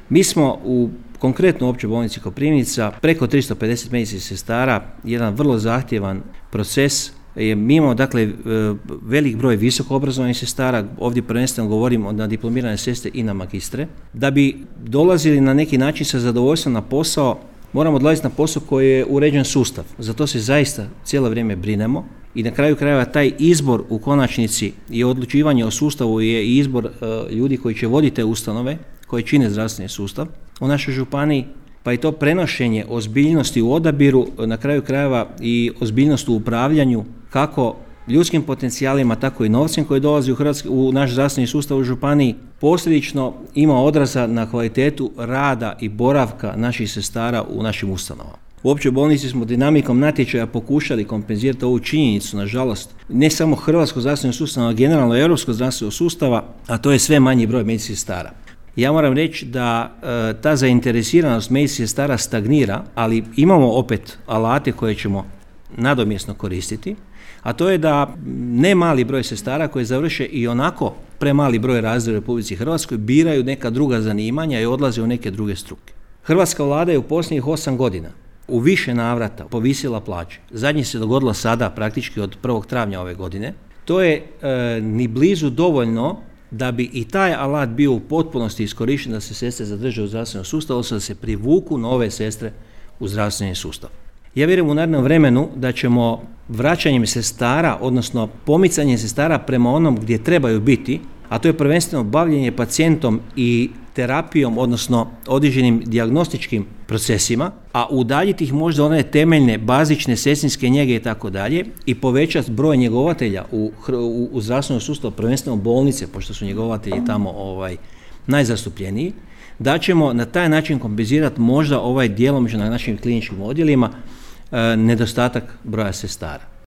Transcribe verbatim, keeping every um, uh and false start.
Mi smo u konkretno u Općoj bolnici Koprivnica preko tristo pedeset medicinskih sestara, jedan vrlo zahtjevan proces. Mi imamo dakle velik broj visoko obrazovanih sestara, ovdje prvenstveno govorimo na diplomirane sestre i na magistre. Da bi dolazili na neki način sa zadovoljstvom na posao, moramo dolaziti na posao koji je uređen sustav. Zato se zaista cijelo vrijeme brinemo i na kraju krajeva taj izbor u konačnici i odlučivanje o sustavu je i izbor uh, ljudi koji će voditi te ustanove, koji čine zdravstveni sustav u našoj županiji, pa i to prenošenje ozbiljnosti u odabiru, na kraju krajeva i ozbiljnost u upravljanju, kako ljudskim potencijalima, tako i novcem koji dolazi u, Hrvatski, u naš zdravstveni sustav u županiji, posljedično ima odraza na kvalitetu rada i boravka naših sestara u našim ustanovama. U Općoj bolnici smo dinamikom natječaja pokušali kompenzirati ovu činjenicu, nažalost, ne samo hrvatskog zdravstvenog sustava, a generalno europskog zdravstvenog sustava, a to je sve manji broj medicinskih sestara. Ja moram reći da e, ta zainteresiranost medicinskih sestara stagnira, ali imamo opet alate koje ćemo nadomjesno koristiti, a to je da ne mali broj sestara koji završe i onako premali broj razreda u Republici Hrvatskoj biraju neka druga zanimanja i odlaze u neke druge struke. Hrvatska vlada je u posljednjih osam godina u više navrata povisila plaće. Zadnje se dogodilo sada praktički od prvog travnja ove godine. To je e, ni blizu dovoljno da bi i taj alat bio u potpunosti iskorišten da se sestre zadrže u zdravstvenom sustavu, odnosno da se privuku nove sestre u zdravstveni sustav. Ja vjerujem u narednom vremenu da ćemo vraćanjem sestara, odnosno pomicanjem sestara prema onom gdje trebaju biti, a to je prvenstveno bavljenje pacijentom i terapijom, odnosno određenim dijagnostičkim procesima, a udaljiti ih možda one temeljne, bazične sestrinske njege i tako dalje i povećati broj njegovatelja u, u, u zdravstvenom sustavu, prvenstveno bolnice, pošto su njegovatelji tamo ovaj, najzastupljeniji, da ćemo na taj način kompenzirati možda ovaj djelomično na našim kliničkim odjelima e, nedostatak broja sestara.